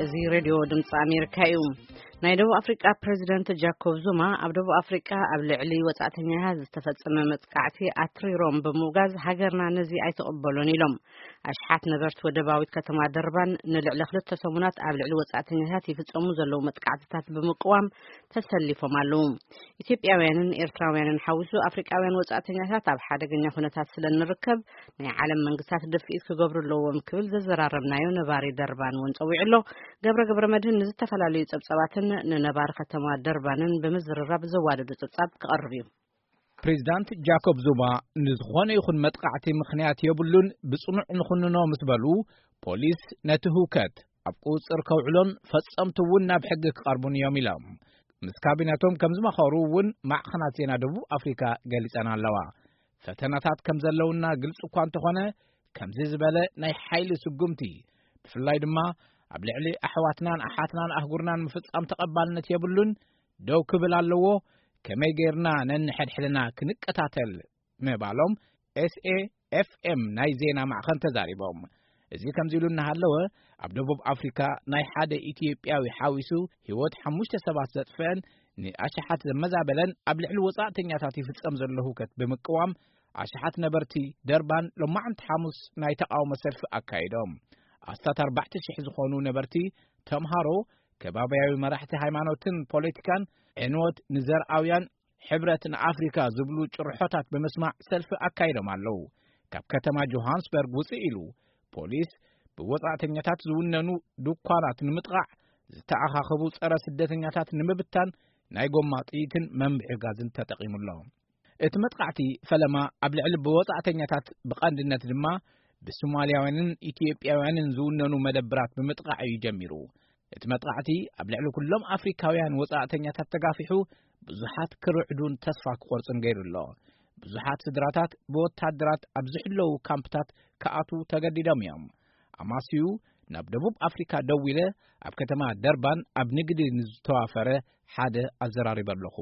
እዚ ሬድዮ ድምፂ ኣሜሪካ እዩ። ናይ ደቡብ ኣፍሪቃ ፕሬዚደንት ጃኮብ ዙማ ኣብ ደቡብ ኣፍሪቃ ኣብ ልዕሊ ወጻእተኛታት ዝተፈጸመ መጥቃዕቲ ኣትሪሮም ብምውጋዝ፣ ሃገርና ነዚ ኣይትቕበሎን ኢሎም። ኣሽሓት ነበርቲ ወደባዊት ከተማ ደርባን ንልዕሊ ክልተ ሰሙናት ኣብ ልዕሊ ወጻእተኛታት ይፍጸሙ ዘለዉ መጥቃዕትታት ብምቅዋም ተሰሊፎም ኣለዉ። ኢትዮጵያውያንን ኤርትራውያንን ሓዊሱ ኣፍሪቃውያን ወጻእተኛታት ኣብ ሓደገኛ ኩነታት ስለ እንርከብ፣ ናይ ዓለም መንግስታት ድፍኢት ክገብሩ ኣለዎም ክብል ዘዘራረብናዮ ነባሪ ደርባን እውን ጸዊዑ ኣሎ። ገብረ ገብረ መድህን ንዝተፈላለዩ ጸብጻባትን ንነባሪ ከተማ ደርባንን ብምዝርራብ ዘዋደዶ ጸብጻብ ክቐርብ እዩ። ፕሬዚዳንት ጃኮብ ዙማ ንዝኾነ ይኹን መጥቃዕቲ ምኽንያት የብሉን፣ ብጽኑዕ ንኹንኖ ምስ በሉ፣ ፖሊስ ነቲ ህውከት ኣብ ቁጽጽር ከውዕሎን ፈጸምቲ እውን ናብ ሕጊ ክቐርቡን እዮም ኢሎም። ምስ ካቢነቶም ከም ዝመኸሩ እውን ማዕኸናት ዜና ደቡብ ኣፍሪካ ገሊጸን ኣለዋ። ፈተናታት ከም ዘለውና ግልጺ እኳ እንተኾነ፣ ከምዚ ዝበለ ናይ ሓይሊ ስጉምቲ፣ ብፍላይ ድማ ኣብ ልዕሊ ኣሕዋትናን ኣሓትናን ኣህጉርናን ምፍጻም ተቐባልነት የብሉን፣ ደው ክብል ኣለዎ፣ ከመይ ጌርና ነንሕድሕድና ክንቀታተል ምባሎም ኤስኤ ኤፍኤም ናይ ዜና ማዕኸን ተዛሪቦም። እዚ ከምዚ ኢሉ እናሃለወ፣ ኣብ ደቡብ ኣፍሪካ ናይ ሓደ ኢትዮጵያዊ ሓዊሱ ህይወት ሓሙሽተ ሰባት ዘጥፍአን ንኣሽሓት ዘመዛበለን ኣብ ልዕሊ ወጻእተኛታት ይፍጸም ዘሎ ህውከት ብምቅዋም፣ ኣሽሓት ነበርቲ ደርባን ሎማዕንቲ ሓሙስ ናይ ተቃውሞ ሰልፊ ኣካይዶም። ኣስታት ኣርባዕተ ሽሕ ዝኾኑ ነበርቲ፣ ተምሃሮ፣ ከባብያዊ መራሕቲ ሃይማኖትን ፖለቲካን፣ ዕንወት ንዘርኣውያን፣ ሕብረት ንኣፍሪካ ዝብሉ ጭርሖታት ብምስማዕ ሰልፊ ኣካይዶም ኣለዉ። ካብ ከተማ ጆሃንስበርግ ውፅእ ኢሉ፣ ፖሊስ ብወጻእተኛታት ዝውነኑ ድኳናት ንምጥቓዕ፣ ዝተኣኻኸቡ ጸረ ስደተኛታት ንምብታን ናይ ጎማ ጥይትን መንብዒ ጋዝን ተጠቒሙ ኣሎ። እቲ መጥቃዕቲ ፈለማ ኣብ ልዕሊ ብወጻእተኛታት፣ ብቐንድነት ድማ ብሶማልያውያንን ኢትዮጵያውያንን ዝውነኑ መደብራት ብምጥቓዕ እዩ ጀሚሩ። እቲ መጥቃዕቲ ኣብ ልዕሊ ኩሎም ኣፍሪካውያን ወጻእተኛታት ተጋፊሑ፣ ብዙሓት ክርዕዱን ተስፋ ክቖርጹን ገይሩ ኣሎ። ብዙሓት ስድራታት ብወታደራት ኣብ ዝሕለዉ ካምፕታት ክኣትዉ ተገዲዶም እዮም። ኣማስዩ ናብ ደቡብ ኣፍሪካ ደዊለ፣ ኣብ ከተማ ደርባን ኣብ ንግዲ ንዝተዋፈረ ሓደ ኣዘራሪበ ኣለኹ።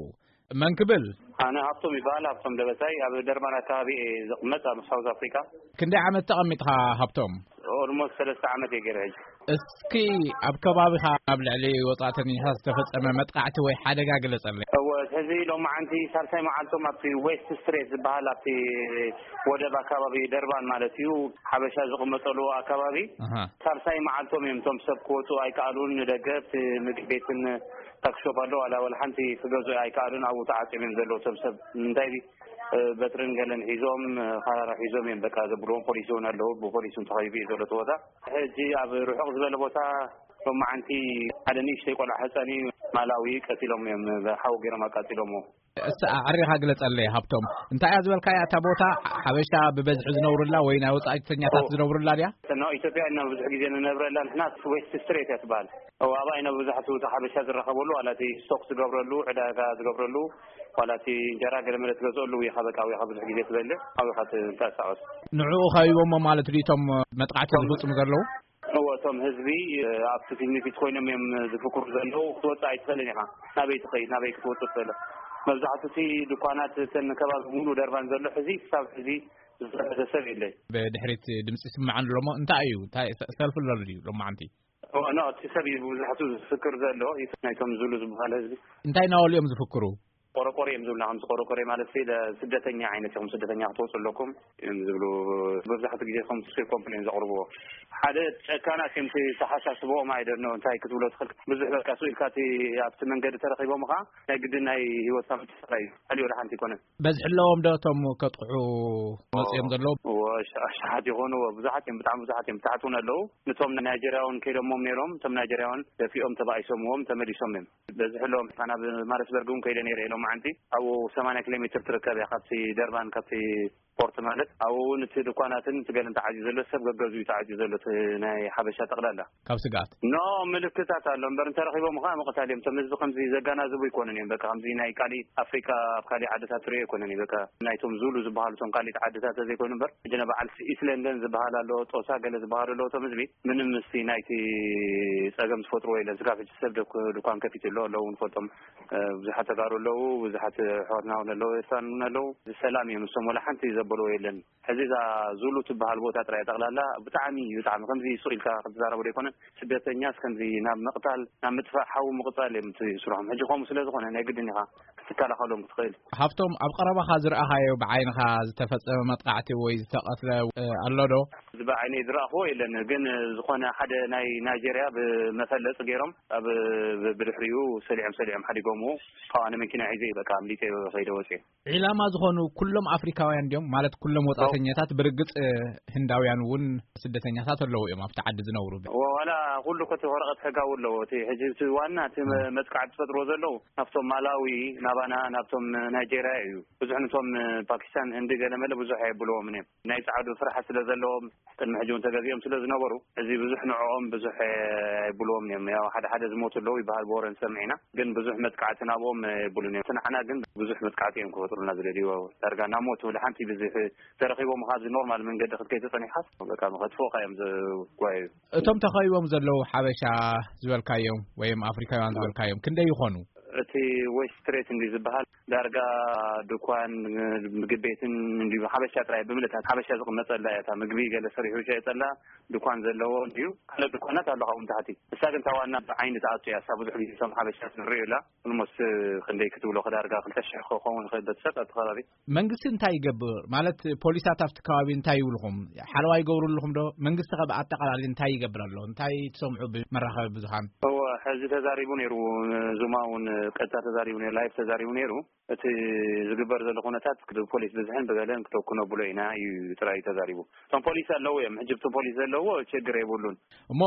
መን ክብል? ኣነ ሃብቶም ይበሃል፣ ሃብቶም ደበሳይ። ኣብ ደርባን ኣካባቢ እየ ዝቕመጥ፣ ኣብ ሳውዝ ኣፍሪካ። ክንደይ ዓመት ተቐሚጥኻ ሃብቶም? ኦልሞስት ሰለስተ ዓመት እየ ገይረ ሕጂ። እስኪ ኣብ ከባቢኻ ኣብ ልዕሊ ወጻእተኛታት ዝተፈጸመ መጥቃዕቲ ወይ ሓደጋ ግለጸለይ። እወ፣ ሕዚ ሎማዓንቲ ሳልሳይ መዓልቶም ኣብቲ ዌስት ስትሬት ዝበሃል ኣብቲ ወደብ ኣካባቢ ደርባን ማለት እዩ፣ ሓበሻ ዝቕመጠሉ ኣካባቢ ኣሃ። ሳልሳይ መዓልቶም እዮም። እቶም ሰብ ክወፁ ኣይከኣሉን። ንደገ ኣብቲ ምግቢ ቤትን ታክሾፕ ኣሎ፣ ዋላ፣ ዋላ ሓንቲ ክገዝኡ ኣይከኣሉን። ኣብኡ ተዓፅዮም እዮም ዘለዉ። እቶም ሰብ እንታይ እ፣ በትርን ገለን ሒዞም፣ እ፣ ካራ ሒዞም እዮም በቃ ዘብልዎም። ፖሊስ እውን ኣለዉ፣ ብፖሊስ እውን ተኸቢቡ እዩ ዘሎ እቲ ቦታ። ሕጂ ኣብ ርሑቕ ዝበለ ቦታ ሎማዓንቲ ሓደ ንእሽተይ ቆልዓ ህፃን እዩ፣ ማላዊ ቀቲሎም እዮም፣ ብሓዊ ገይሮም ኣቃፂሎምዎ። እስቲ ኣዕሪኻ ግለጸለይ ሃብቶም፣ እንታይ እያ ዝበልካያ እታ ቦታ? ሓበሻ ብበዝሒ ዝነብሩላ ወይ ናይ ወጻእተኛታት ኦ። ዝነብሩላ ድያ? ኖ፣ ኢትዮጵያ ኢና ብዙሕ ግዜ ንነብረላ ንሕና። ዌስት ስትሬት እያ ትበሃል። እዎ፣ ኣብኣ ኢና ብዙሓት እቲ ሓበሻ ዝራኸበሉ፣ ዋላ እቲ ስቶክ ዝገብረሉ፣ ዕዳጋ ዝገብረሉ፣ ዋላ እቲ እንጀራ ገለ መለ ትገዝኦሉ፣ ውይኻ በቃ፣ ውይኻ ብዙሕ ግዜ ትበልዕ፣ ኣብኻ ትንቀሳቐስ። ንዕኡ ከቢቦሞ ማለት ድዩ እቶም መጥቃዕቲ ዝፍጽሙ ዘለዉ? እዎ፣ እቶም ህዝቢ፣ እ፣ ኣብቲ ፊት ንፊት ኮይኖም እዮም ዝፍክሩ ዘለዉ። ክትወጽእ ኣይትኽእልን ኢኻ። ናበይ ትኸይድ? ናበይ ክትወጽእ ትኽእል? መብዛሕትኡ እቲ ድኳናት፣ እተን ከባቢ ሙሉ ደርባን ዘሎ ሕዚ፣ ክሳብ ሕዚ ዝተረፈ ሰብ የለን። ብድሕሪት ድምፂ ይስማዕ ኣሎ እሞ እንታይ እዩ? እንታይ ሰ-፣ ሰልፊ ኣሎ ድዩ ሎማዓንቲ? ኖ፣ እቲ ሰብ እዩ መብዛሕትኡ ዝፍክር ዘሎ፣ ናይቶም ዙሉ ዝበሃል ህዝቢ። እንታይ እናበሉ እዮም ዝፍክሩ? ቆረቆሬ እዮም ዝብሉና፣ ከምዚ ቆረቆሬ ማለት ሲ፣ ስደተኛ ዓይነት ኢኹም፣ ስደተኛ ክትወፁ ኣለኩም እዮም ዝብሉ። መብዛሕትኡ ግዜ ከምዚ ኮምፕሌን ዘቕርብዎ። ሓደ ጨካናት እዮም፣ እቲ ተሓሳስብኦም ኣይደኖ እንታይ ክትብሎ ትኽእል። ብዙሕ በቃ ስኢልካ እቲ ኣብቲ መንገዲ ተረኺቦም ኸዓ ናይ ግድን ናይ ህይወትካ ምትሳር እዩ። ካልእ ወላ ሓንቲ ኣይኮነን። በዝሒ ኣለዎም ዶ እቶም ከጥቕዑ መፅኦም ዘለዉ? እዎ፣ ኣሽ-፣ ኣሽሓት ይኾኑ፣ እዎ፣ ብዙሓት እዮም፣ ብጣዕሚ ብዙሓት እዮም። ብታሕቲ እውን ኣለዉ። ነቶም ናይጀርያውን ከይዶሞም ነይሮም፣ እቶም ናይጀርያውን ደፊኦም ተባኢሶምዎም ተመሊሶም እዮም። በዝሒ ኣለዎም። ኣነ ኣብ ማሪስበርግ እውን ከይደ ነይረ ሎማዓንቲ። ኣብኡ ሰማንያ ኪሎ ሜትር ትርከብ እያ ካብቲ ደርባን፣ ካብቲ ፖርት ማለት። ኣብኡ እውን እቲ ድኳናትን እቲ ገለን ተዓፅዩ ዘሎ፣ ሰብ ገገዝኡ እዩ ተዓፅዩ ዘሎ፣ እቲ ናይ ሓበሻ ጠቕላላ። ካብ ስግኣት? ኖ፣ ምልክታት ኣሎ እምበር፣ እንተረኺቦም ኸዓ ምቕታል እዮም። እቶም ህዝቢ ከምዚ ዘጋናዝቡ ኣይኮኑን እዮም። በቃ ከምዚ ናይ ካሊእ ኣፍሪቃ ኣብ ካሊእ ዓድታት ትሪኦ ኣይኮነን እዩ። በቃ ናይቶም ዙሉ ዝበሃሉ እቶም ካሊእ ዓድታት ዘይኮይኑ እምበር፣ ሕጂ ናይ በዓል ኢስት ለንደን ዝበሃል ኣሎ፣ ጦሳ ገለ ዝበሃሉ ኣለዉ። እቶም ህዝቢ ምንም ምስቲ ናይቲ ጸገም ዝፈጥርዎ የለን። ስጋብ ሕጂ ሰብ ደኩ-፣ ድኳን ከፊቱ ኣሎ፣ ኣለዉ ንፈልጦም። ብዙሓት ተጋሩ ኣለዉ፣ ብዙሓት ኣሕዋትና እውን ኣለዉ፣ ኤርትራን እውን ኣለዉ። ሰላም እዮም፣ ንሶም ወላ ሓንቲ ዘበልዎ የለን። ሕዚ እዛ ዙሉ ትበሃል ቦታ ጥራይ ጠቕላላ ብጣዕሚ፣ ብጣዕሚ ከምዚ ሱቕ ኢልካ ክትዛረቦ ዘይኮነ፣ ስደተኛስ ከምዚ ናብ ምቕታል፣ ናብ ምጥፋእ ሓዊ ምቕጻል እዮም እቲ ስርሖም። ሕጂ ከምኡ ስለ ዝኾነ ናይ ግድን ኢኻ ክትከላኸሎም ክትኽእል። ሃብቶም፣ ኣብ ቀረባኻ ዝረኣኻዮ፣ ብዓይንኻ ዝተፈጸመ መጥቃዕቲ ወይ ዝተቐትለ፣ እ፣ ኣሎ ዶ? እዚ ብዓይነይ ዝረኣኽዎ የለን፣ ግን ዝኾነ ሓደ ናይ ናይጄርያ ብመፈለጺ ገይሮም ኣብ፣ ብ-፣ ብድሕሪኡ ሰሊዖም፣ ሰሊዖም ሓዲጎምዎ። ካብኣ ንመኪና ሒዘ በቃ ኣምሊጠ ከይደ ወፅየ። ዒላማ ዝኾኑ ኩሎም ኣፍሪካውያን ድዮም? ማለት ኩሎም ወጻእተኛታት? ብርግጽ፣ እ፣ ህንዳውያን እውን ስደተኛታት ኣለዉ እዮም ኣብቲ ዓዲ ዝነብሩ። ዋላ ኩሉ ኮቲ ወረቐት ሕጋዊ ኣለዎ። እቲ ሕጂ እቲ ዋና እቲ መ-፣ መጥቃዕቲ ዝፈጥርዎ ዘለዉ ናብቶም ማላዊ፣ ናባና፣ ናብቶም ናይጄርያ እዩ። ብዙሕ ነቶም ፓኪስታን፣ ህንዲ ገለ መለ ብዙሕ ኣየብልዎምን እዮም። ናይ ጻዕዱ ፍርሓት ስለ ዘለዎም ቅድሚ ሕጂ እውን ተገዚኦም ስለ ዝነበሩ፣ እዚ ብዙሕ ንዕኦም ብዙሕ ኣይብልዎም እዮም። ያው ሓደ ሓደ ዝሞቱ ኣለዉ ይበሃል ብወረ ንሰምዕ ኢና፣ ግን ብዙሕ መጥቃዕቲ ናብኦም የብሉን እዮም። እቲ ንዓና ግን ብዙሕ መጥቃዕቲ እዮም ክፈጥሩልና ዝደልይዎ። ዳርጋ ናብ ሞት ወላ ሓንቲ ብዙሕ ተረኺቦም ኣብዚ ኖርማል መንገዲ ክትከይድ ተጸኒሕካስ በቃ መኸትፎኻ እዮም ዝጓየዩ። እቶም ተኸቢቦም ዘለዉ ሓበሻ ዝበልካዮም ወይም ኣፍሪካውያን ዝበልካዮም ክንደይ ይኾኑ? እቲ ዌስት ስትሬት እንዲ ዝበሃል ዳርጋ ድኳን፣ ምግቢ ቤትን እንዲ ሓበሻ ጥራይ ብምልእታት ሓበሻ ዝቕመጠላ እያ። እታ ምግቢ ገለ ሰሪሑ ይሸየጠላ ድኳን ዘለዎ እንዲዩ። ካልኦት ድኳናት ኣሎ ካብኡ ንታሕቲ። እሳ ግን እታ ዋና ብዓይኒ ትኣቱ እያ። እሳ ብዙሕ ግዜ እቶም ሓበሻ ንሪኦ ኢላ ኦልሞስት ክንደይ ክትብሎ ክዳርጋ ክልተ ሽሕ ክኸውን ይኽእል በቲ ሰብ ኣብቲ ከባቢ። መንግስቲ እንታይ ይገብር? ማለት ፖሊሳት ኣብቲ ከባቢ እንታይ ይብልኹም? ሓለዋ ይገብሩ ኣለኹም ዶ? መንግስቲ ከ ብኣጠቓላሊ እንታይ ይገብር ኣሎ? እንታይ ትሰምዑ ብመራኸቢ ብዙሃን? እወ፣ ሕዚ ተዛሪቡ ነይሩ። ዙማ እውን ቀጥታ ተዛሪቡ ነይሩ፣ ላይቭ ተዛሪቡ ነይሩ። እቲ ዝግበር ዘሎ ኩነታት ብፖሊስ ብዝሕን ብገለን ክተኩኖ ብሎ ኢና እዩ ጥራይ ተዛሪቡ። እቶም ፖሊስ ኣለዉ እዮም። ሕጂ እቶም ፖሊስ ዘለዎ ችግር የብሉን። እሞ፣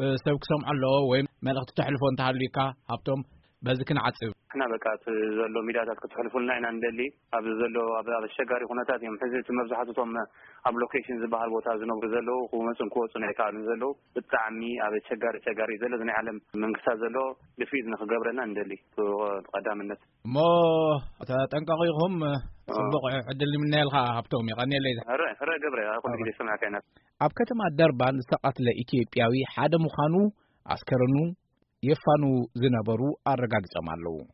እ፣ ሰብ ክሰምዖ ኣለዎ ወይ መልእኽቲ ተሕልፎ እንተሃልዩካ፣ ሃብቶም፣ በዚ ክንዓጽብ። ንሕና በቃ እቲ ዘሎ ሚድያታት ክትሕልፉልና ኢና ንደሊ። ኣብዚ ዘሎ ኣብ፣ ኣብ ኣሸጋሪ ኩነታት እዮም። ሕዚ እቲ መብዛሕትኡ እቶም ኣብ ሎኬሽን ዝበሃል ቦታ ዝነብሩ ዘለዉ ክመጹን ክወጹን ኣይከኣሉን ዘለዉ። ብጣዕሚ ኣብ ኣሸጋሪ፣ ኣሸጋሪ ዘሎ እዚ ናይ ዓለም መንግስታት ዘሎ ድፊት ንክገብረና ንደሊ ብቐዳምነት። እሞ ተጠንቀቑ ኢኹም። ጽቡቕ ዕድል ንምነየልካ ሃብቶም። የቐንየለይ። ሕረ፣ ሕረ ገብረ፣ ኣብ ኩሉ ግዜ ሰማዕካ ኢና። ኣብ ከተማ ደርባን ዝተቐትለ ኢትዮጵያዊ ሓደ ምዃኑ ኣስከረኑ የፋኑ ዝነበሩ ኣረጋግጾም ኣለዉ።